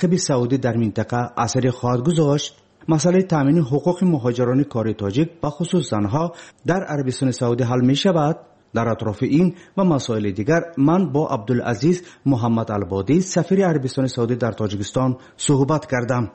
муртақиби Саудӣ дар минтақа асаре хоҳад гузошт? Масъалаи таъмини ҳуқуқи муҳоҷирони кори тоҷик, бахусус занҳо, дар Арабистони Саудӣ ҳал мешавад? Дар атрофи ин ва масоили дигар ман бо Абдулазиз Муҳаммад Албодӣ, сафири Арабистони Саудӣ дар Тоҷикистон, суҳбат кардам.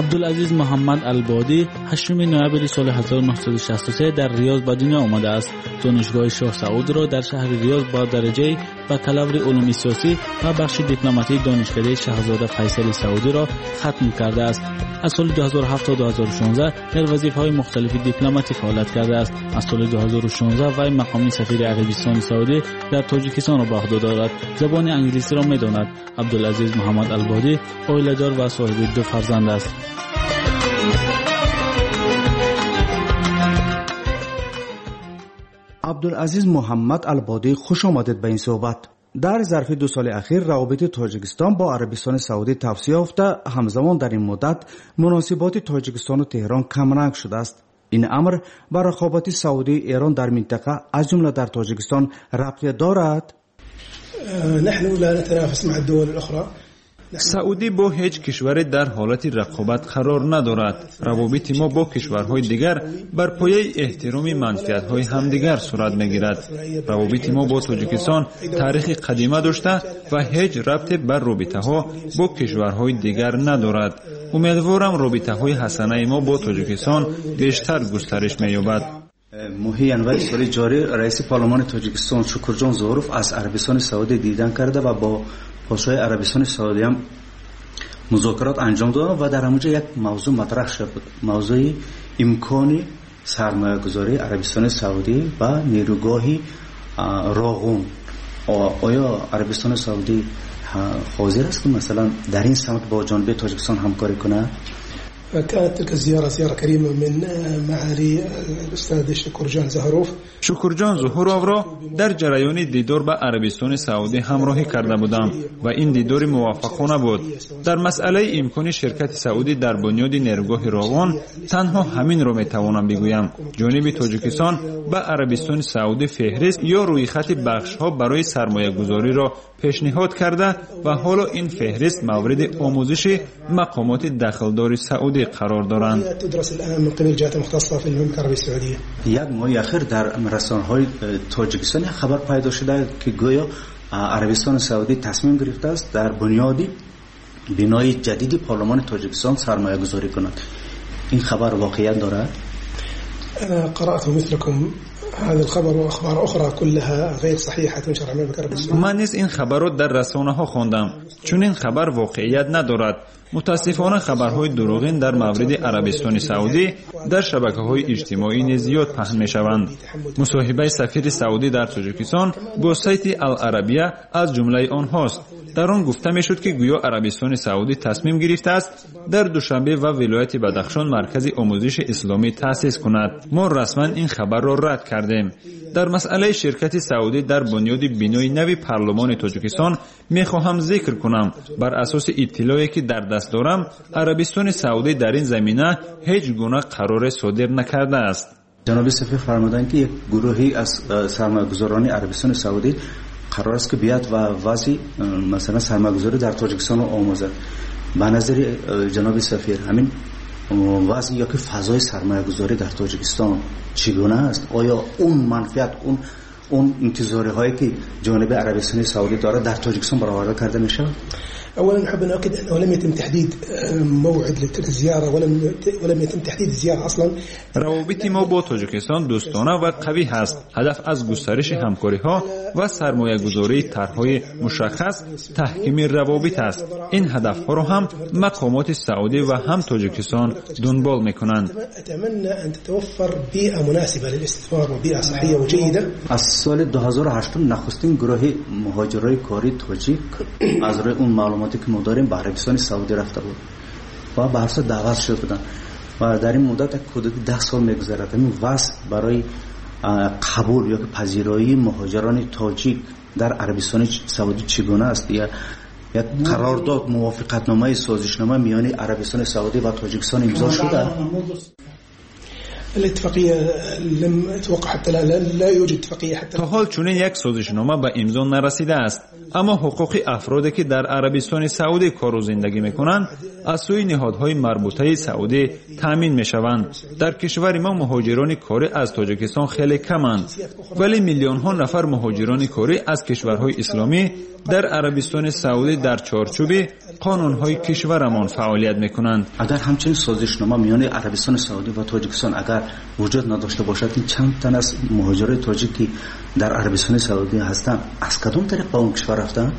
Абдулазиз Муҳаммад Албодӣ 8 ноябри соли 1963 дар Риёз ба дунё омадааст. Донишгоҳи Шоҳ Саудро дар шаҳри Риёз бо дараҷаи бакалаври улуми сиёсӣ ва бахши дипломатии донишкадаи Шаҳзода Файсали Саудиро хатм кардааст. Аз соли 2007 то 2016 дар вазифаҳои мухталифи дипломатӣ фаъолият кардааст. Аз соли 2016 вай мақоми сафири Арабистони Саудӣ дар Тоҷикистонро ба уҳда дорад. Забони англисиро медонад. Абдулазиз Муҳаммад Албодӣ оиладор ва соҳиби 2 фарзанд аст. Абдулазиз Муҳаммад Албодӣ, хуш омадед ба ин суҳбат. Дар зарфи 2 соли ахир равобити Тоҷикистон бо Арабистони Саудӣ тавсия ёфта, ҳамзамон дар ин муддат муносиботи Тоҷикистону Теҳрон камранг шудааст. Ин амр ба рақобати Саудии Эрон дар минтақа, аз ҷумла дар Тоҷикистон, рабте дорад? نحن لا نتنافس مع الدول الأخرى. Саудӣ бо ҳеҷ кишваре дар ҳолати рақобат қарор надорад. Равобити мо бо кишварҳои дигар бар пояи эҳтироми манфиатҳои ҳамдигар сурат мегирад. Равобити мо бо Тоҷикистон таърихи қадима дошта ва ҳеҷ рабте бар робитаҳо бо кишварҳои дигар надорад. Умедворам робитаҳои ҳасанаи мо бо Тоҷикистон бештар густариш меёбад. Моҳи январи соли ҷорӣ раиси парлумони Тоҷикистон Шукурҷон Зуҳуров аз Арабистони Саудӣ дидан карда ва бо подшоҳи Арабистони Саудӣ ҳам музокирот анҷом дод ва дар ҳамонҷо як мавзӯъ матраҳ шуд, мавзӯи имкони сармоягузории Арабистони Саудӣ ба нерӯгоҳи Роғун. Оё Арабистони Саудӣ ҳозир аст ки масалан дар ин самт бо ҷониби Тоҷикистон ҳамкорӣ кунад? كانت تلك الزيارة زيارة كريمة من معالي الأستاذ شكرجان زهروف. Шукурҷон Зуҳуровро дар ҷараёни дидор ба Арабистони Саудӣ ҳамроҳӣ карда будам ва ин дидори муваффақона буд. Дар масъалаи имкони ширкати Саудӣ дар бунёди нерӯгоҳи Роғун танҳо ҳаминро метавонам бигӯям. Ҷониби Тоҷикистон ба Арабистони Саудӣ феҳрист ё рӯйхати бахшҳо барои сармоягузориро пешниҳод карда ва ҳоло ин феҳрист мавриди омӯзиши мақомоти дахлдори Саудӣ қарор доранд. Як моҳи ахир дар расонаҳои Тоҷикистон як хабар пайдо шуда ки гӯё Арабистони Саудӣ тасмим гирифтааст дар бунёди бинои ҷадиди парлумони Тоҷикистон сармоягузорӣ кунад. Ин хабар воқеият дорад? أنا قرأت مثلكم هذا الخبر وأخبار أخرى كلها غير صحيحة تنشر عن المملكة العربية السعودية. Ман низ ин хабарро дар расонаҳо хондам. Чунин хабар воқеият надорад. Мутаассифона хабарҳои дурӯғин дар мавриди Арабистони Саудӣ дар шабакаҳои иҷтимоӣ низ зиёд паҳн мешаванд. Мусоҳибаи сафири Саудӣ дар Тоҷикистон бо сайти Ал-Арабия аз ҷумлаи онҳост. Дар он гуфта мешуд ки гӯё Арабистони Саудӣ тасмим гирифтааст дар Душанбе ва вилояти Бадахшон маркази омӯзиши исломӣ таъсис кунад. Мо расман ин хабарро рад кардем. Дар масъалаи ширкати Саудӣ дар бунёди бинои нави парлумони Тоҷикистон мехоҳам зикр кунам. Бар асоси иттилоъе ки дар даст дорам, Арабистони Саудӣ дар ин замина ҳеҷ гуна қароре содир накардааст. Ҷаноби сафир фармуданд ки як гурӯҳе аз сармоягузорони Арабистони Саудӣ қарор аст ки биёяд ва вазъи масалан сармоягузорӣ дар Тоҷикистонро омӯзад. Ба назари ҷаноби сафир ҳамин вазъ ё ки фазои сармоягузорӣ дар Тоҷикистон чӣ гуна аст? Оё он манфиат, он интизориҳое ки ҷониби Арабистони Саудӣ дорад дар Тоҷикистон бароварда карда мешавад? أولا أحب أن أؤكد أنه لم يتم تحديد موعد لتلك الزيارة ولم يتم تحديد الزيارة أصلا. روابط ما با تاجیکستان دوستانه و قوی هست. هدف از گسترش همکاری‌ها و سرمایه‌گذاری طرح‌های مشخص تحکیم روابط است. این هدف‌ها را هم مقامات سعودی و هم تاجیکستان دنبال می‌کنند. أتمنى أن تتوفر بيئة مناسبة للاستثمار وبيئة صحية وجيدة. از سال 2008 نخستین گروه مهاجرای کاری تاجیک از روی اون معلوماتی که ما داریم به عربستان سعودی رفته بود و به هر دعوت شده بودند و در این مدت حدود 10 سال می‌گذرد. این وضع برای قبول یا پذیرایی مهاجران تاجیک در عربستان سعودی چگونه است؟ یا یک قرارداد، موافقتنامه، سازشنامه میان عربستان سعودی و تاجیکستان امضا شده؟ الاتفاقية لم توقع حتى لا يوجد اتفاقية حتى То ҳол чунин як созишнома ба имзо нарасидааст, аммо ҳуқуқи афроде, ки дар Арабистони Саудӣ кору зиндагӣ мекунанд, аз сӯи ниҳодҳои марбутаи Саудӣ таъмин мешаванд. Дар кишвари мо муҳоҷирони корӣ аз Тоҷикистон хеле каманд, вале миллионҳо нафар муҳоҷирони корӣ аз кишварҳои исломӣ дар Арабистони Саудӣ дар чорчӯби қонунҳои кишварамон фаъолият мекунанд. Агар ҳамчунин созишнома миёни Арабистони Саудӣ ва Тоҷикистон агар вуҷуд надошта бошад, ин чанд тан аз муҳоҷирони тоҷик, ки дар Арабистони Саудӣ ҳастанд, аз кадом тариқ ба он кишвар рафтанд?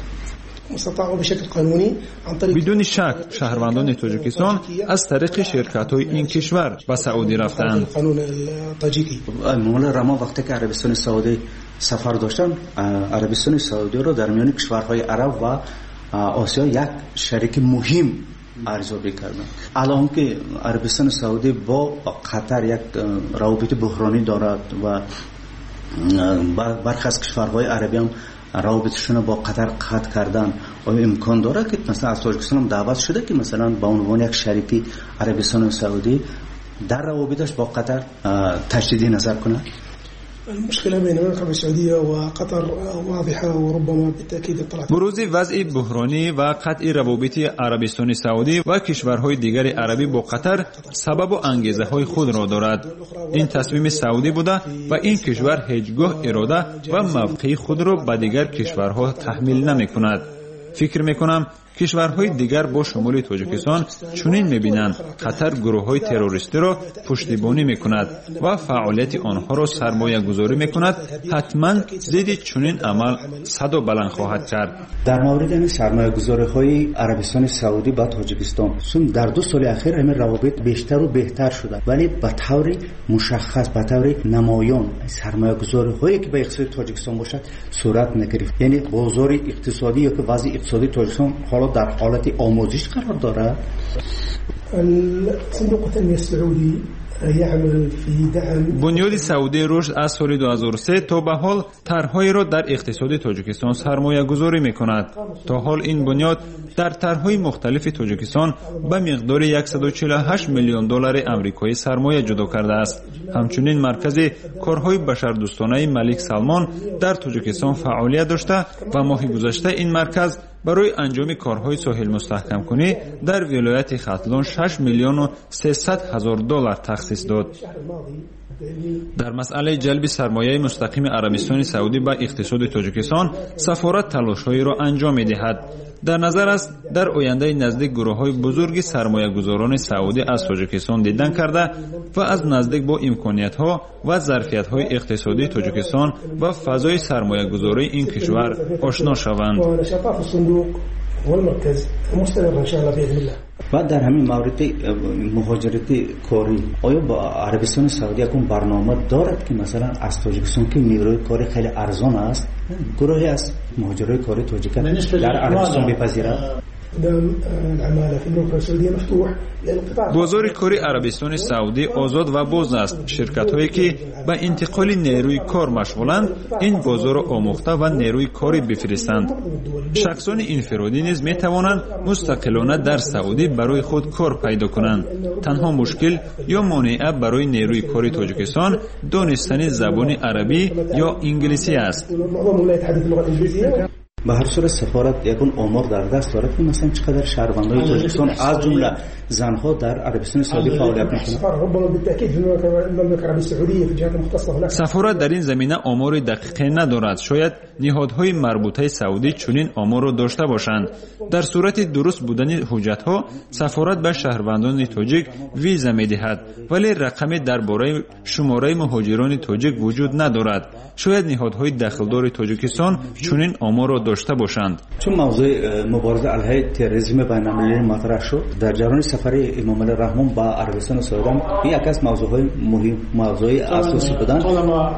استطاعوا بشكل قانوني عن طريق Бидуни шак, шаҳрвандони Тоҷикистон аз тариқи ширкатҳои ин кишвар ба Саудӣ рафтаанд. القانون الطاجيكي. Эмомалӣ Раҳмон вақте ки Арабистони Саудӣ сафар доштанд, Арабистони Саудиро дар миёни кишварҳои араб ва Осиё як шарики муҳим арзёбӣ карданд. Алон ки Арабистони Саудӣ бо Қатар як равобити буҳронӣ дорад ва бархе аз кишварҳои арабиам равобиташонро бо Қатар қатъ кардан, оё имкон дорад, ки масалан аз Тоҷикистон ҳам даъват шуда, ки масалан ба унвони як шарики Арабистони Саудӣ дар равобиташ бо Қатар таҷдиди назар кунад? المشكلة بين المملكة العربية السعودية وقطر واضحة وربما بالتأكيد اطلعت. Бурӯзи вазъи буҳронӣ ва қатъи равобити Арабистони Саудӣ ва кишварҳои дигари арабӣ бо Қатар сабабу ангезаҳои худро дорад. Ин тасмими Саудӣ буда ва ин кишвар ҳеҷ гоҳ ирода ва мавқеи худро ба дигар кишварҳо таҳмил намекунад. Фикр мекунам, кишварҳои дигар бо шумули Тоҷикистон чунин мебинанд: Қатар гурӯҳҳои террористиро пуштибонӣ мекунад ва фаъолияти онҳоро сармоягузорӣ мекунад, ҳатман зидди чунин амал садо баланд хоҳад кард. Дар мавриди ҳамин сармоягузориҳои Арабистони Саудӣ ба Тоҷикистон, чун дар 2 соли ахир ҳамин равобит бештару беҳтар шуда, вале ба таври мушаххас, ба таври намоён сармоягузориҳое, ки ба иқтисоди Тоҷикистон бошад, сурат нагирифт. Яъне бозори иқтисодӣ ё ки вазъи иқтисодии Тоҷикистон ҳоло дар ҳолати омӯзиш қарор дорад. صندوق التنمية السعودي يعمل في دعم Бунёди Саудии рушд аз соли 2003 то ба ҳол тарҳҳоеро дар иқтисоди Тоҷикистон сармоягузорӣ мекунад. То ҳол ин бунёд дар тарҳҳои мухталифи Тоҷикистон ба миқдори 148 миллион доллари амрикоӣ сармоя ҷудо кардааст. Ҳамчунин маркази корҳои башардӯстонаи Малик Салмон дар Тоҷикистон фаъолият дошта ва моҳи гузашта ин марказ барои анҷоми корҳои соҳилмустаҳкамкунӣ дар вилояти Хатлон 6 миллиону 300 ҳазор доллар тахсис дод. Дар масъалаи ҷалби сармояи мустақими Арабистони Саудӣ ба иқтисоди Тоҷикистон сафорат талошҳоеро анҷом медиҳад. Дар назар аст, дар ояндаи наздик гурӯҳҳои бузурги сармоягузорони саудӣ аз Тоҷикистон дидан карда ва аз наздик бо имкониятҳо ва зарфиятҳои иқтисодии Тоҷикистон ва фазои сармоягузории ин кишвар ошно шаванд. ونشاطات الصندوق والمركز مستمرة إن شاء الله بإذن الله. Ва дар ҳамин мавриди муҳоҷирати корӣ, оё бо Арабистони Саудӣ ягон барнома дорад, ки масалан аз Тоҷикистон, ки нерӯи кори хеле арзон аст, гурӯҳе аз муҳоҷирои кори тоҷика дар Арабистон бипазирад? استخدام العمالة في المملكة السعودية مفتوح لأن القطاع Бозори кори Арабистони Саудӣ озод ва боз аст. Ширкатҳое, ки ба интиқоли нерӯи кор машғуланд, ин бозорро омӯхта ва нерӯи корӣ бифиристанд. Шахсони инфиродӣ низ метавонанд мустақилона дар Саудӣ барои худ кор пайдо кунанд. Танҳо мушкил ё монеа барои нерӯи кори Тоҷикистон донистани забони арабӣ ё инглисӣ аст. معظمهم لا يتحدث اللغة الإنجليزية. Ба ҳар сурат, сафорат ягон омор дар даст дорад, ки масалан чӣ қадар шаҳрвандои Тоҷикистон, аз ҷумла занҳо, дар Арабистони Саудӣ фаъолият мекунанд? السفارة ربما بالتأكيد في المملكة العربية السعودية في الجهات المختصة هناك. Сафорат дар ин замина омори дақиқе надорад. Шояд ниҳодҳои марбутаи саудӣ чунин оморро дошта бошанд. Дар сурати дуруст будани ҳуҷҷатҳо сафорат ба шаҳрвандони тоҷик виза медиҳад, вале рақаме дар бораи шумораи муҳоҷирони тоҷик вуҷуд надорад. Шояд ниҳодҳои дахлдори Тоҷикистон чунин оморро дошта бошанд. Чун мавзӯи мубориза алайҳи терроризми байналмилалӣ матраҳ шуд дар ҷараёни сафари Эмомалӣ Раҳмон ба Арабистони Саудӣ, ин яке аз мавзӯъҳои муҳим, мавзӯи асосӣ буданд,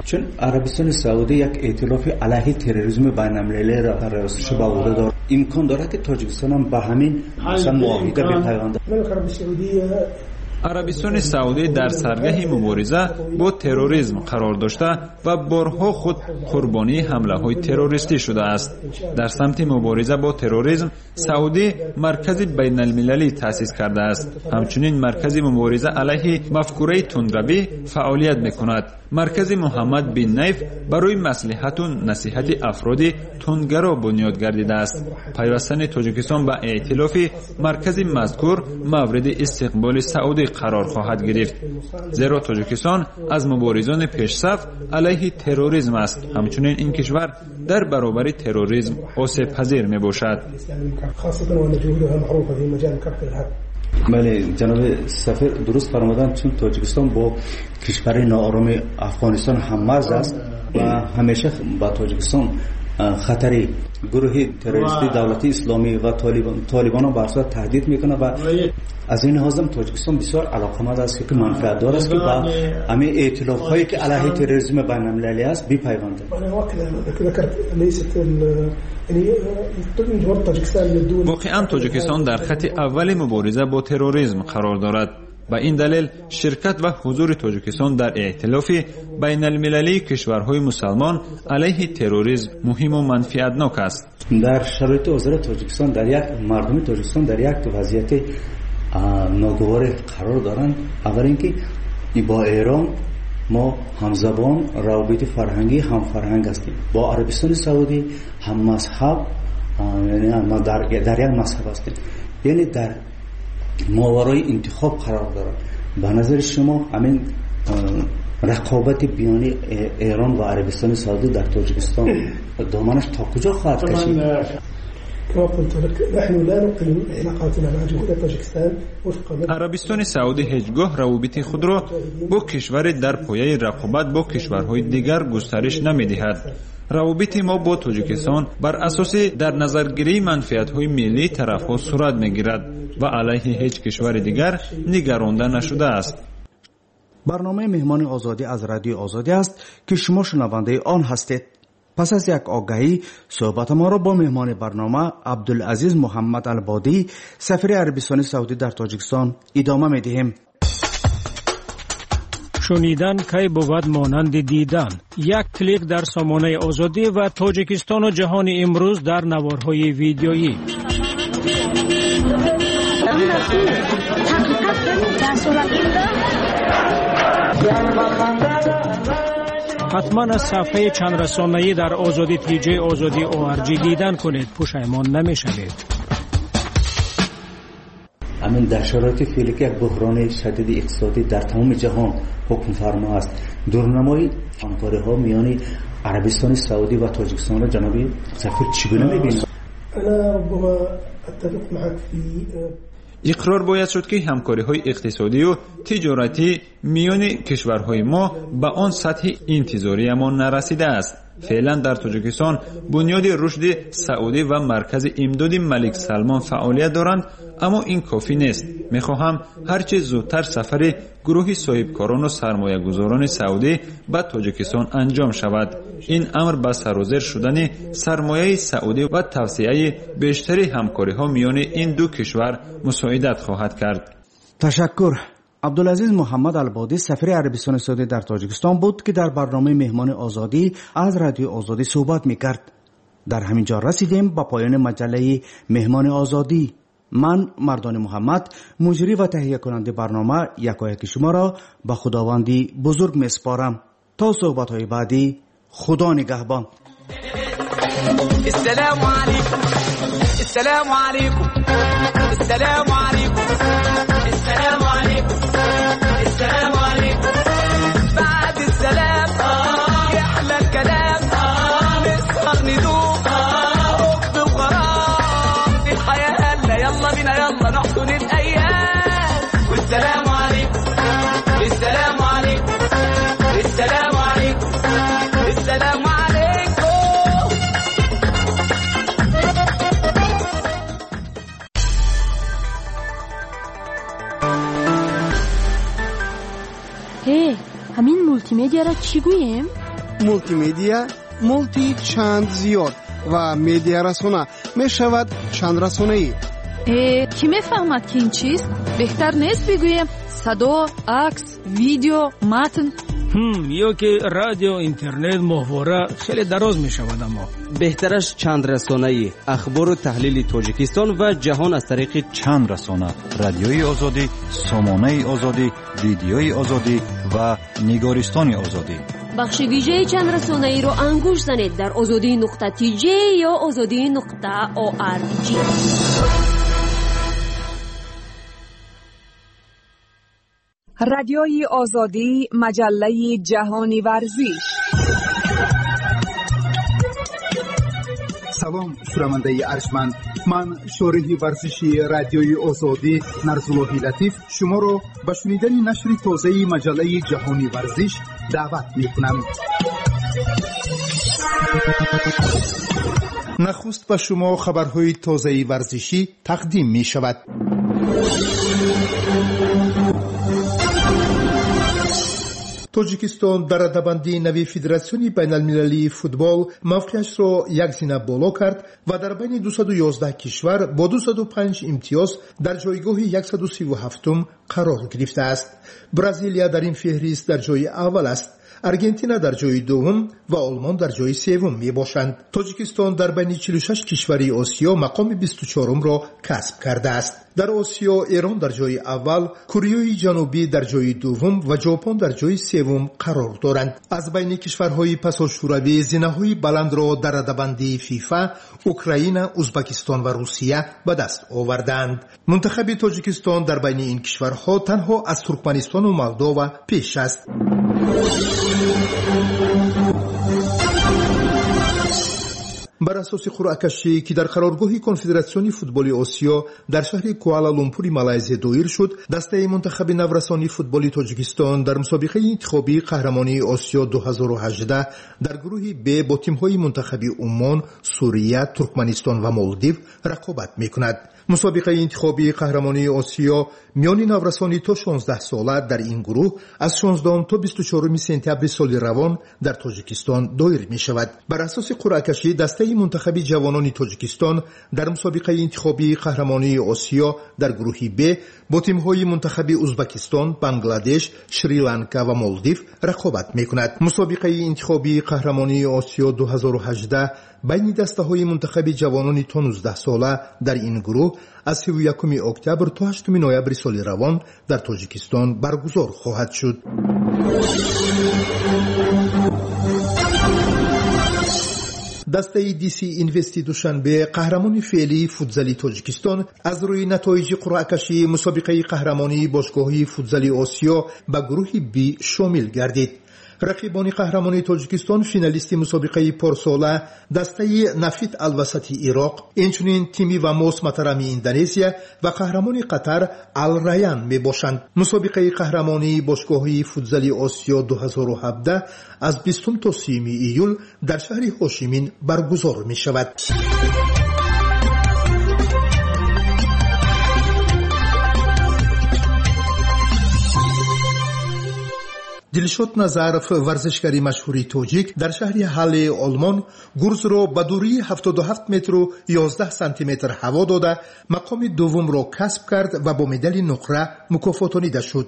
чун Арабистони Саудӣ як эътилофи алайҳи терроризми байналмилалиро дар риёсаташ ба уҳда дорад. Имкон дорад, ки Тоҷикистон ҳам ба ҳамин масалан муоҳида бипайвандад? المملكة العربية السعودية Арабистони Саудӣ дар саргаҳи мубориза бо терроризм қарор дошта ва борҳо худ қурбонии ҳамлаҳои террористӣ шудааст. Дар самти мубориза бо терроризм Саудӣ маркази байналмилалӣ таъсис кардааст. Ҳамчунин маркази мубориза алайҳи мафкураи тундравӣ фаъолият мекунад. Маркази Муҳаммад бин Найф барои маслиҳату насиҳати афроди тундгаро бунёд гардидааст. Пайвастани Тоҷикистон ба эътилофи маркази мазкур мавриди истиқболи Саудӣ қарор хоҳад гирифт, зеро Тоҷикистон аз муборизони пешсаф алайҳи терроризм аст. Ҳамчунин ин кишвар дар баробари терроризм осебпазир мебошад. Бале, ҷаноби сафир дуруст фармуданд, чун Тоҷикистон бо кишвари ноороми Афғонистон ҳаммарз аст ва ҳамеша ба Тоҷикистон хатари гурӯҳи террористии давлати исломӣ ва толибонро ба асос таҳдид мекунад ва аз ин лиҳозам Тоҷикистон бисёр алоқаманд аст, ки манфиатдор аст, ки ба ҳамин эътилофҳое ки алайҳи терроризми байналмилалӣ аст бипайвандад. Воқеан Тоҷикистон дар хати аввали мубориза бо терроризм қарор дорад. Ба ин далел ширкат ва ҳузури Тоҷикистон дар эътилофи байналмилалии кишварҳои мусалмон алайҳи терроризм муҳиму манфиатнок аст. Дар шароити ҳозира Тоҷикистон дар як мардуми Тоҷикистон дар як вазъияти ногуворе қарор доранд. Аввал ин ки бо Эрон мо ҳамзабон, равобити фарҳангӣ ҳамфарҳанг ҳастем. Бо Арабистони Саудӣ ҳаммазҳаб, яъне дар як мазҳаб ҳастем. Яъне дар моварои интихоб қарор дорад. Ба назари шумо ҳамин рақобати биёни Эрон ва Арабистони Саудӣ дар Тоҷикистон доманаш то куҷо хоҳад кашид? Арабистони Саудӣ ҳеҷ гоҳ равобити худро бо кишваре дар пояи рақобат бо кишварҳои дигар густариш намедиҳад. Равобити мо бо Тоҷикистон бар асоси дар назаргирии манфиатҳои миллии тарафҳо сурат мегирад ва алайҳи ҳеҷ кишвари дигар нигаронда нашудааст. Барномаи Меҳмони Озодӣ аз Радиои Озодӣ аст, ки шумо шунавандаи он ҳастед. Пас аз як огаҳӣ суҳбатамонро бо меҳмони барнома Абдулазиз Муҳаммад Албодӣ, сафири Арабистони Саудӣ дар Тоҷикистон идома медиҳем. Шунидан кай бувад монанди дидан. Як клик дар сомонаи Озодӣ ва Тоҷикистону ҷаҳони имрӯз дар наворҳои видеоӣ. Ҳатман аз сафҳаи чандрасонаӣ дар Озодӣ TJ Озодӣ ORG дидан кунед, пушаймон намешавед. Ҳамин дар шароити феълӣ ки як буҳрони шадиди иқтисодӣ дар тамоми ҷаҳон ҳукмфармо аст, дурнамои ҳамкориҳо миёни Арабистони Саудӣ ва Тоҷикистонро ҷаноби сафир чӣ гуна мебинад? Иқрор бояд шуд, ки ҳамкориҳои иқтисодию тиҷоратӣ миёни кишварҳои мо ба он сатҳи интизориямон нарасидааст. Феълан дар Тоҷикистон бунёди рушди Саудӣ ва маркази имдоди Малик Салмон фаъолият доранд, аммо ин кофӣ нест. Мехоҳам ҳарчи зудтар сафари гурӯҳи соҳибкорону сармоягузорони Саудӣ ба Тоҷикистон анҷом шавад. Ин амр ба сарозер шудани сармояи Саудӣ ва тавсеаи бештари ҳамкориҳо миёни ин ду кишвар мусоидат хоҳад кард. Ташаккур. Абдулазиз Муҳаммад Албодӣ, сафири Арабистони Саудӣ дар Тоҷикистон буд, ки дар барномаи Меҳмони Озодӣ аз Радиои Озодӣ суҳбат мекард. Дар ҳамин ҷо расидем ба поёни маҷаллаи Меҳмони Озодӣ. Ман Мардони Муҳаммад, муҷрӣ ва таҳиякунандаи барнома, якояки шуморо ба Худованди бузург месупорам. То суҳбатҳои баъдӣ, Худо нигаҳбон. السلام عليكم، السلام عليكم، السلام عليكم، السلام عليكم، السلام عليكم. بعد السلام يحلى الكلام، نسهر ندوب حب وغرام الحياة. هلا يلا بينا يلا نحضن الأيام. والسلام عليكم، السلام عليكم، السلام عليكم، السلام عليكم. ҳамин мултимедиаро чӣ гӯем? Мултимедиа мулти чанд зиёд ва медиарасона мешавад чандрасонаӣ. Кӣ мефаҳмад, ки ин чист? Беҳтар нест бигӯем садо, акс, видео, матн? Ё ки радио, интернет, моҳвора хеле дароз мешавад, аммо беҳтараш чанд расонаӣ: ахбору таҳлили Тоҷикистон ва ҷаҳон аз тариқи чанд расона: Радиои Озодӣ, Сомонаи Озодӣ, Видеои Озодӣ ва Нигористони Озодӣ. Бахши вижаи чандрасонаиро ангушт занед дар озодӣ.тj ё озодӣ.org. Радиои Озодӣ, маҷаллаи ҷаҳони варзиш. Салом, шунавандаи арҷманд. Ман, шориҳи варзиши Радиои Озодӣ Нарзуллоҳи Латиф, шуморо ба шунидани нашри тозаи маҷаллаи ҷаҳони варзиш даъват мекунам. Нахуст ба шумо хабарҳои тозаи варзишӣ тақдим мешавад. Тоҷикистон дар радабандии нави Федератсиони байналмилалии футбол мавқеашро як зина боло кард ва дар байни 211 кишвар бо 205 имтиёз дар ҷойгоҳи 137-ум қарор гирифтааст. Бразилия дар ин феҳрист дар ҷои аввал аст, Аргентина дар ҷои дуввум ва Олмон дар ҷои севум мебошанд. Тоҷикистон дар байни 46 кишвари Осиё мақоми 24-умро касб кардааст. Дар Осиё Эрон дар ҷои аввал, Кореяи Ҷанубӣ дар ҷои дуввум ва Ҷопон дар ҷои севум қарор доранд. Аз байни кишварҳои пасошӯравӣ зинаҳои баландро дар радабандии ФИФА Украина, Узбакистон ва Русия ба даст овардаанд. Мунтахаби Тоҷикистон дар байни ин кишварҳо танҳо аз Туркманистону Молдова пеш аст. Бар асоси қуръакашӣ, ки дар қароргоҳи Конфедератсиони футболи Осиё дар шаҳри Куала Лумпури Малайзия доир шуд, дастаи мунтахаби наврасони футболи Тоҷикистон дар мусобиқаи интихобии қаҳрамонии Осиё 2018 дар гурӯҳи Б бо тимҳои мунтахаби Уммон, Сурия, Туркманистон ва Молдив рақобат мекунад. Мусобиқаи интихобии қаҳрамонии Осиё миёни наврасони то 16 сола дар ин гурӯҳ аз 16 то 24 сентябри соли равон дар Тоҷикистон доир мешавад. Бар асоси қуръакашӣ, дастаи мунтахаби ҷавонони Тоҷикистон дар мусобиқаи интихобии қаҳрамонии Осиё дар гурӯҳи Б бо тимҳои мунтахаби Узбакистон, Бангладеш, Шри-Ланка ва Молдив рақобат мекунад. Мусобиқаи интихобии қаҳрамонии Осиё 2018 байни дастаҳои мунтахаби ҷавонони то 19 сола дар ин гурӯҳ аз 31 октябр то 8 ноябри соли равон дар Тоҷикистон баргузор хоҳад шуд. Дастаи Диси Инвести Душанбе, қаҳрамони феълии футзали Тоҷикистон, аз рӯи натоиҷи қуръакашии мусобиқаи қаҳрамонии бошгоҳии футзали Осиё ба гурӯҳи Б шомил гардид. Рақибони қаҳрамони Тоҷикистон финалисти мусобиқаи порсола, дастаи Нафит Алвасати Ироқ, инчунин тими Вамос Матарами Индонезия ва қаҳрамони Қатар Алраян мебошанд. Мусобиқаи қаҳрамонии бошгоҳии футзали Осиё 2017 аз 20 то 30 июл дар шаҳри Ҳошимин баргузор мешавад. Дилшод Назаров, варзишгари машҳури тоҷик, дар шаҳри Ҳаллеи Олмон гурзро ба дурии 77 метру 11 сантиметр ҳаво дода, мақоми дуввумро касб кард ва бо медали нуқра мукофотонида шуд.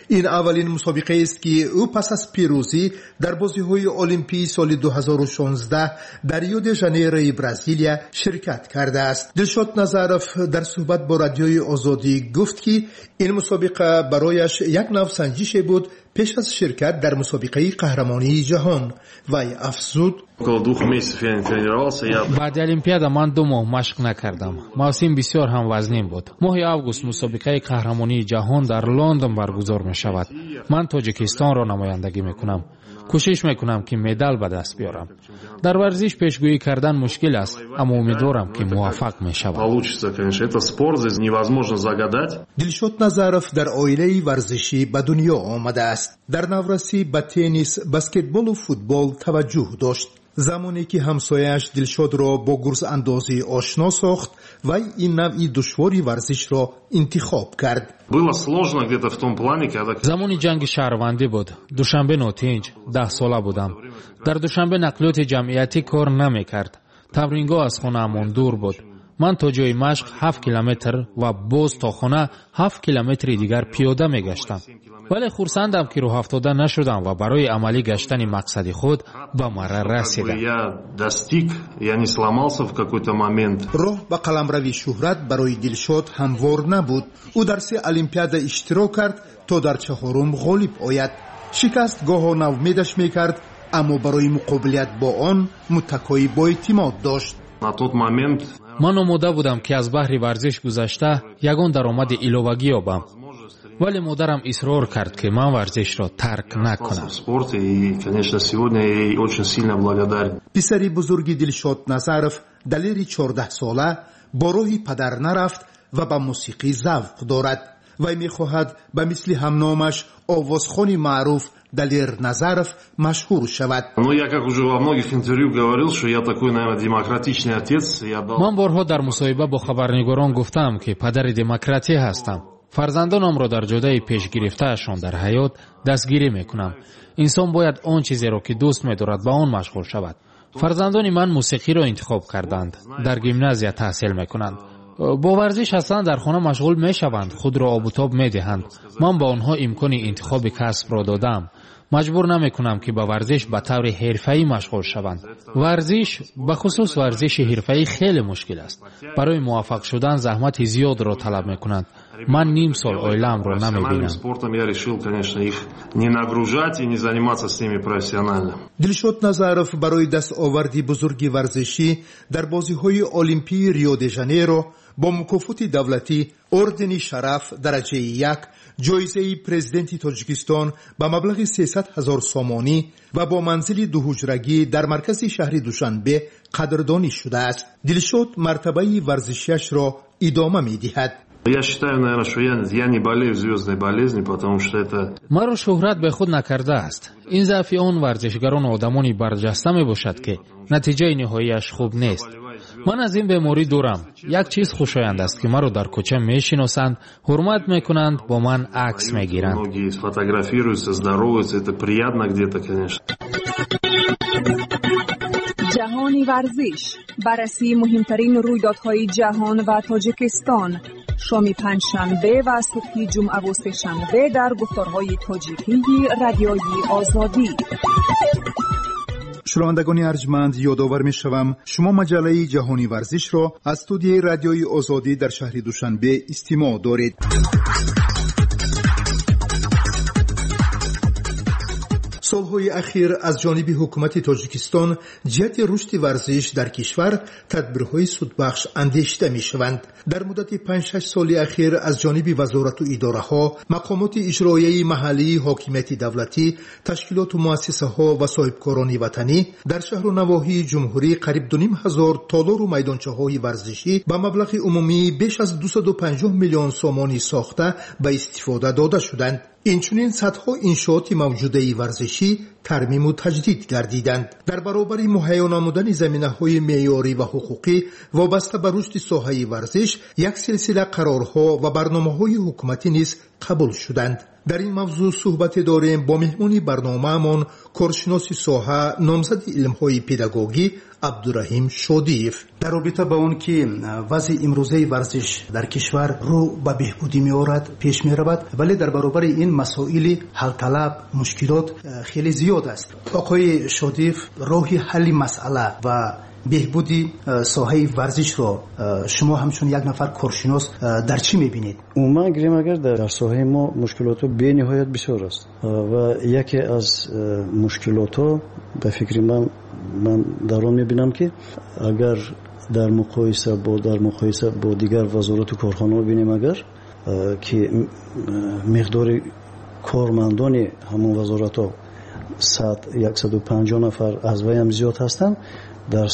Ин аввалин мусобиқаест, ки ӯ пас аз пирӯзӣ дар бозиҳои Олимпии соли 2016 дар Рио де Жанейрои Бразилия ширкат кардааст. Дилшод Назаров дар суҳбат бо Радиои Озодӣ гуфт, ки ин мусобиқа барояш як нав санҷише буд пеш аз ширкат дар мусобиқаи қаҳрамонии ҷаҳон. Вай афзуд: Баъди Олимпиада ман 2 моҳ машқ накардам. Мавсим бисёр ҳам вазнин буд. Моҳи август мусобиқаи қаҳрамонии ҷаҳон дар Лондон баргузор мешавад. Ман Тоҷикистонро намояндагӣ мекунам. Кӯшиш мекунам, ки медал ба даст биёрам. Дар варзиш пешгӯӣ кардан мушкил аст, аммо умедворам, ки муваффақ мешавам. Дилшод Назаров дар оилаи варзишӣ ба дунё омадааст. Дар наврасӣ ба теннис, баскетболу футбол таваҷҷӯҳ дошт. Замоне ки ҳамсояаш Дилшодро бо гурзандозӣ ошно сохт, вай ин навъи душвори варзишро интихоб кард. Замони ҷанги шаҳрвандӣ буд. Душанбе нотинҷ, 10-сола будам. Дар Душанбе нақлиёти ҷамъиятӣ кор намекард. Тамрингоҳ аз хонаамон дур буд. Ман то ҷои машқ 7 километр ва боз то хона 7 километри дигар пиёда мегаштам. Вале хурсандам, ки рӯҳафтода нашудам ва барои амалӣ гаштани мақсади худ ба марра расидам. Я достиг, я не сломался в какой-то момент. Роҳ ба қаламрави шӯҳрат барои Дилшод ҳамвор набуд. Ӯ дар се олимпиада иштирок кард, то дар чаҳорум ғолиб ояд. Шикаст гоҳо навмедаш мекард, аммо барои муқобилият бо он муттакоӣ боэътимод дошт. На тот момент ман омода будам, ки аз баҳри варзиш гузашта ягон даромади иловагӣ ёбам, вале модарам исрор кард, ки ман варзишро тарк накунам. В спорте, и, конечно, сегодня я ей очень сильно благодарен. Писари бузурги Дилшод Назаров, Далери 14сола, бо роҳи падар нарафт ва ба мусиқӣ завқ дорад. Вай мехоҳад ба мисли ҳамномаш, овозхони маъруф Далер Назаров, машҳур шавад. Ну, я, как уже во многих интервью говорил, что я такой, наверное, демократичный отец, я дал Ман борҳо дар мусоҳиба бо хабарнигорон гуфтаам, ки падари демократӣ ҳастам. Фарзандонамро дар ҷодаи пешгирифтаашон дар ҳаёт дастгирӣ мекунам. Инсон бояд он чизеро, ки дӯст медорад, ба он машғул шавад. Фарзандони ман мусиқиро интихоб карданд, дар гимназия таҳсил мекунанд, бо варзиш ҳастанд, дар хона машғул мешаванд, худро обутоб медиҳанд. Ман ба онҳо имкони интихоби касбро додаам. Маҷбур намекунам, ки ба варзиш ба таври ҳирфаӣ машғул шаванд. Варзиш, бахусус варзиши ҳирфаӣ, хеле мушкил аст. Барои муваффақ шудан заҳмати зиёдро талаб мекунанд. Ман ним сол оилаамро намебинам. Спортом я решил, конечно, их не нагружать и не заниматься с ними профессионально. Дилшод Назаров барои дастоварди бузурги варзишӣ дар бозиҳои Олимпии Рио де Жанейро бо мукофоти давлатӣ, ордени Шараф дараҷаи як, ҷоизаи Президенти Тоҷикистон ба маблағи 300 ҳазор сомонӣ ва бо манзили дуҳуҷрагӣ дар маркази шаҳри Душанбе қадрдонӣ шудааст. Дилшод мартабаи варзишиашро идома медиҳад. Я считаю, наверное, что я не болею звездной болезнью, потому что это Маро шӯҳрат бехуд накардааст. Ин заъфи он варзишгарону одамони барҷаста мебошад, ки натиҷаи ниҳоияш хуб нест. Ман аз ин беморӣ дурам. Як чиз хушоянд аст, ки маро дар кӯча мешиносанд, ҳурмат мекунанд, бо ман акс мегиранд. Многие фотографируются, здороваются, это приятно где-то, конечно. Ҷаҳони варзиш, баррасии муҳимтарин рӯйдодҳои ҷаҳон ва Тоҷикистон, шоми панҷшанбе ва субҳи ҷумъаву сешанбе дар гуфторҳои тоҷикии Радиои Озодӣ. Шунавандагони арҷманд, ёдовар мешавам, шумо маҷаллаи Ҷаҳони варзишро аз студияи Радиои Озодӣ дар шаҳри Душанбе истимоъ доред. Солҳои ахир аз ҷониби ҳукумати Тоҷикистон ҷиҳати рушди варзиш дар кишвар тадбирҳои судбахш андешида мешаванд. Дар муддати 5-6 соли ахир аз ҷониби вазорату идораҳо, мақомоти иҷроияи маҳаллии ҳокимияти давлатӣ, ташкилоту муассисаҳо ва соҳибкорони ватанӣ дар шаҳру навоҳии ҷумҳурӣ қариб 2500 толору майдончаҳои варзишӣ ба маблағи умумии беш аз 250 миллион сомонӣ сохта ба истифода дода шуданд. Инчунин садҳо иншооти мавҷудаи варзишӣ тармиму таҷдид гардиданд. Дар баробари муҳайё намудани заминаҳои меъёрӣ ва ҳуқуқӣ вобаста ба рушди соҳаи варзиш, як силсила қарорҳо ва барномаҳои ҳукуматӣ низ қабул шуданд. Дар ин мавзӯъ суҳбате дорем бо меҳмони барномаамон, коршиноси соҳа, номзади илмҳои педагогӣ Абдураҳим Шодиев. Дар робита ба он ки вазъи имрӯзаи варзиш дар кишвар рӯ ба беҳбудӣ меорад, пеш меравад, вале дар баробари ин масоили ҳалталаб, мушкилот хеле зиёд аст, оқои Шодиев, роҳи ҳалли масъала ва беҳбуди соҳаи варзишро шумо ҳамчун як нафар коршинос дар чӣ мебинед? Умуман гирем агар, дар соҳаи мо мушкилотҳо бениҳоят бисёр аст ва яке аз мушкилотҳо, ба фикри ман, ман дар он мебинам, ки агар дар муқоиса бо дигар вазорату корхонаҳо бинем агар, ки миқдори кормандони ҳамон вазоратҳо 100, 150 нафар, аз вайам зиёд ҳастанд, дар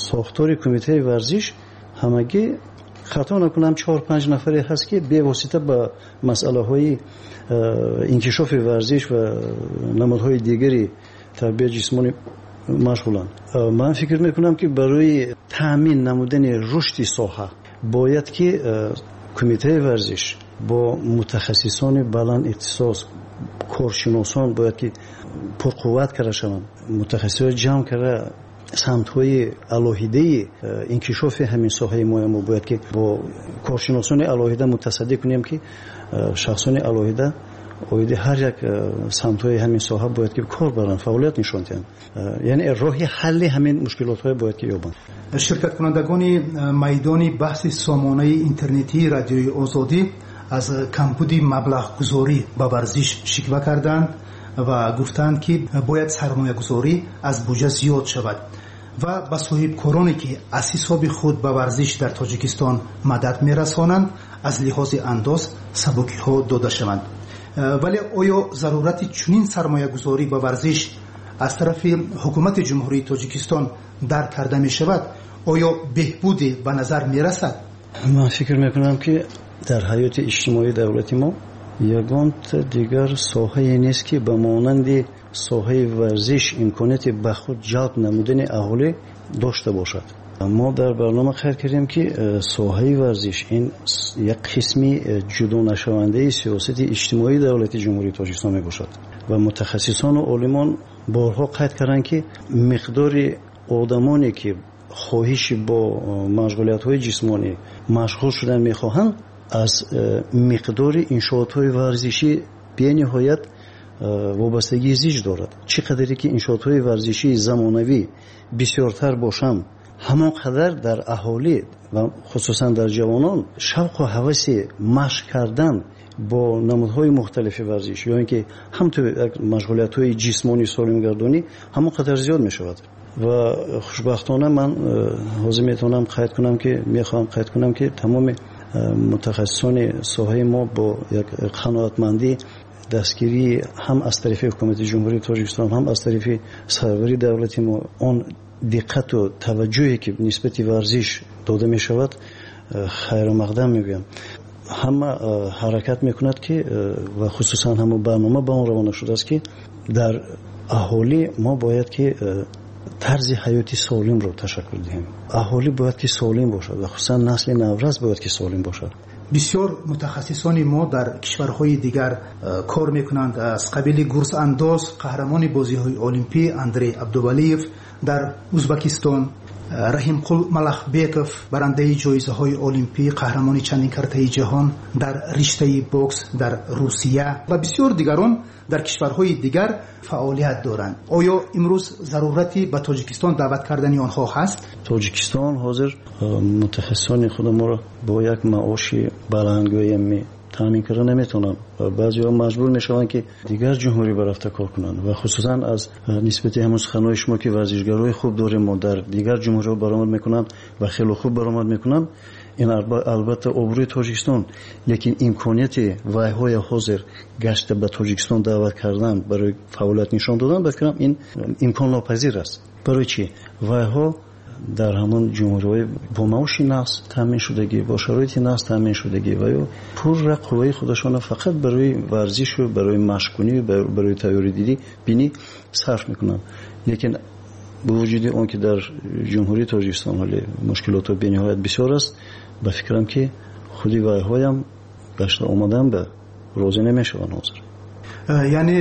сохтори кумитаи варзиш ҳамагӣ, хато накунам, чор панҷ нафаре ҳаст, ки бевосита ба масъалаҳои инкишофи варзиш ва намудҳои дигари тарбияи ҷисмонӣ машғуланд. Ман фикр мекунам, ки барои таъмин намудани рушди соҳа бояд ки кумитаи варзиш бо мутахассисони баланд ихтисос, коршиносон бояд ки пурқувват карда шаванд, мутахассисҳои ҷамъ карда. Самтҳои алоҳидаи инкишофи ҳамин соҳаи мо бояд ки бо коршиносони алоҳида мутасаддӣ кунем, ки шахсони алоҳида оиди ҳар як самтҳои ҳамин соҳа бояд ки кор баранд, фаъолият нишон диҳанд, яъне роҳи ҳалли ҳамин мушкилотҳое бояд ки ёбанд. Ширкаткунандагони майдони баҳси сомонаи интернетии Радиои Озодӣ аз камбуди маблағгузорӣ ба варзиш шиква карданд ва гуфтанд, ки бояд сармоягузорӣ аз буҷа зиёд шавад ва ба соҳибкороне, ки аз ҳисоби худ ба варзиш дар Тоҷикистон мадад мерасонанд, аз лиҳози андоз сабукиҳо дода шаванд. Вале оё зарурати чунин сармоягузорӣ ба варзиш аз тарафи ҳукумати Ҷумҳурии Тоҷикистон дарк карда мешавад? Оё беҳбуде ба назар мерасад? Ман фикр мекунам, ки дар ҳаёти иҷтимоии давлати мо ягонта дигар соҳае нест, ки ба монанди соҳаи варзиш имконияти ба худ ҷалб намудани аҳолӣ дошта бошад. Мо дар барнома қайд кардем, ки соҳаи варзиш ин як қисми ҷудонашавандаи сиёсати иҷтимоии давлати Ҷумҳурии Тоҷикистон мебошад ва мутахассисону олимон борҳо қайд карданд, ки миқдори одамоне, ки хоҳиши бо машғулиятҳои ҷисмонӣ машғул шудан мехоҳанд, аз миқдори иншоотҳои варзишӣ бениҳоят вобастагии зич дорад. Чӣ қадаре ки иншоотҳои варзишии замонавӣ бисёртар бошанд, ҳамон қадар дар аҳолӣ ва хусусан дар ҷавонон шавқу ҳаваси машқ кардан бо намудҳои мухталифи варзиш ё ин ки ҳамту машғулиятҳои ҷисмонии солимгардонӣ ҳамон қадар зиёд мешавад. Ва хушбахтона ман ҳозир метавонам қайд кунам, ки мехоҳам қайд кунам, ки тамоми мутахассисони соҳаи мо бо як қаноатмандӣ дастгирии ҳам аз тарафи ҳукумати Ҷумҳурии Тоҷикистон, ҳам аз тарафи сарвари давлати мо, он диққату таваҷҷӯҳе, ки нисбати варзиш дода мешавад, хайрумақдам мегӯям. Ҳама ҳаракат мекунад, ки ва хусусан ҳамон барнома ба он равона шудааст, ки дар аҳолӣ мо бояд ки тарзи ҳаёти солимро ташаккул диҳем. Аҳолӣ бояд ки солим бошад ва хусусан насли наврас бояд ки солим бошад. Бисёр мутахассисони мо дар кишварҳои дигар кор мекунанд, аз қабили гурзандоз, қаҳрамони бозиҳои олимпӣ Андрей Абдувалиев дар Узбакистон, Раҳимқул Малахбеков, барандаи ҷоизаҳои олимпӣ, қаҳрамони чандин картаи ҷаҳон дар риштаи бокс дар Русия ва бисёр дигарон дар кишварҳои дигар фаъолият доранд. Оё имрӯз зарурати ба Тоҷикистон даъват кардани онҳо ҳаст? Тоҷикистон ҳозир мутахассисони худаморо бо як маоши баландгӯя таъмин карда наметавонанд ва баъзеҳо маҷбур мешаванд, ки дигар ҷумҳурӣ барафта кор кунанд ва хусусан аз нисбати ҳамон суханҳои шумо, ки варзишгарои хуб дорем мо дар дигар ҷумҳуриҳо баромад мекунанд ва хеле хуб баромад мекунанд, ин албатта обрӯи Тоҷикистон, лекин имконияти вайҳои ҳозир гашта ба Тоҷикистон даъват кардан барои фаъолият нишон додан, ба фикрам, ин имконнопазир аст. Барои чӣ? Вайҳо дар ҳамон ҷумҳуриҳои бо маоши нақс таъмин шудагӣ, бо шароити нақс таъмин шудагӣ ва ё пурра қувваи худашонро фақат барои варзишу барои машқкунӣ, барои тайёридидӣ бинӣ сарф мекунанд. Лекин бо вуҷуди он ки дар Ҷумҳурии Тоҷикистон ҳоле мушкилотҳо бениҳоят бисёр аст, ба фикрам, ки худи вайҳоям гашта омадан ба розӣ намешаванд ҳозир. Яъне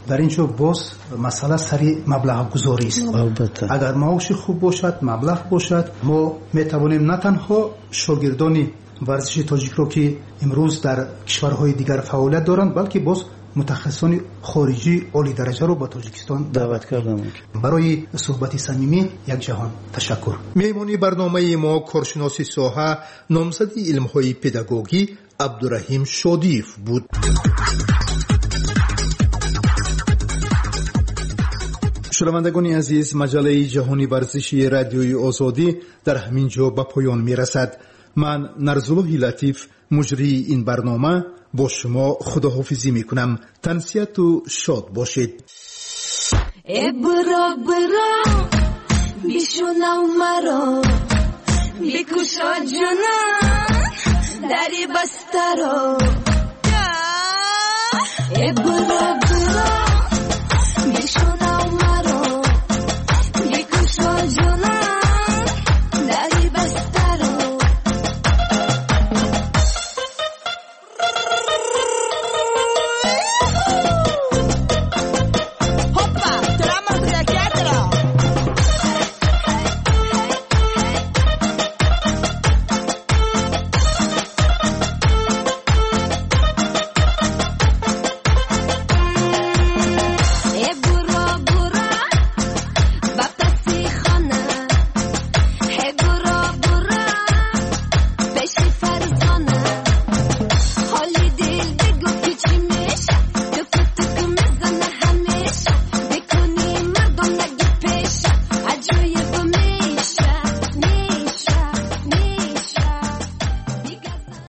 дар ин ҷо боз масъала сари маблағгузорист. Албатта. Агар маоши хуб бошад, маблағ бошад, мо метавонем на танҳо шогирдони варзиши тоҷикро, ки имрӯз дар кишварҳои дигар фаъолият доранд, балки боз мутахассисони хориҷии олидараҷаро ба Тоҷикистон даъват карда мумкин. Барои суҳбати самимӣ як ҷаҳон ташаккур. Меҳмони барномаи мо коршиноси соҳа, номзади илмҳои педагогӣ Абдураҳим Шодиев буд. Шунавандагони азиз, маҷаллаи ҷаҳони варзиши Радиои Озодӣ дар ҳамин ҷо ба поён мерасад. Ман, Нарзуллоҳи Латиф, муҷрии ин барнома, бо шумо худоҳофизӣ мекунам. Тансиҳату шод бошед. Э биро, биро, бишунав маро, бикушо, ҷонон, дари бастаро. Э биро.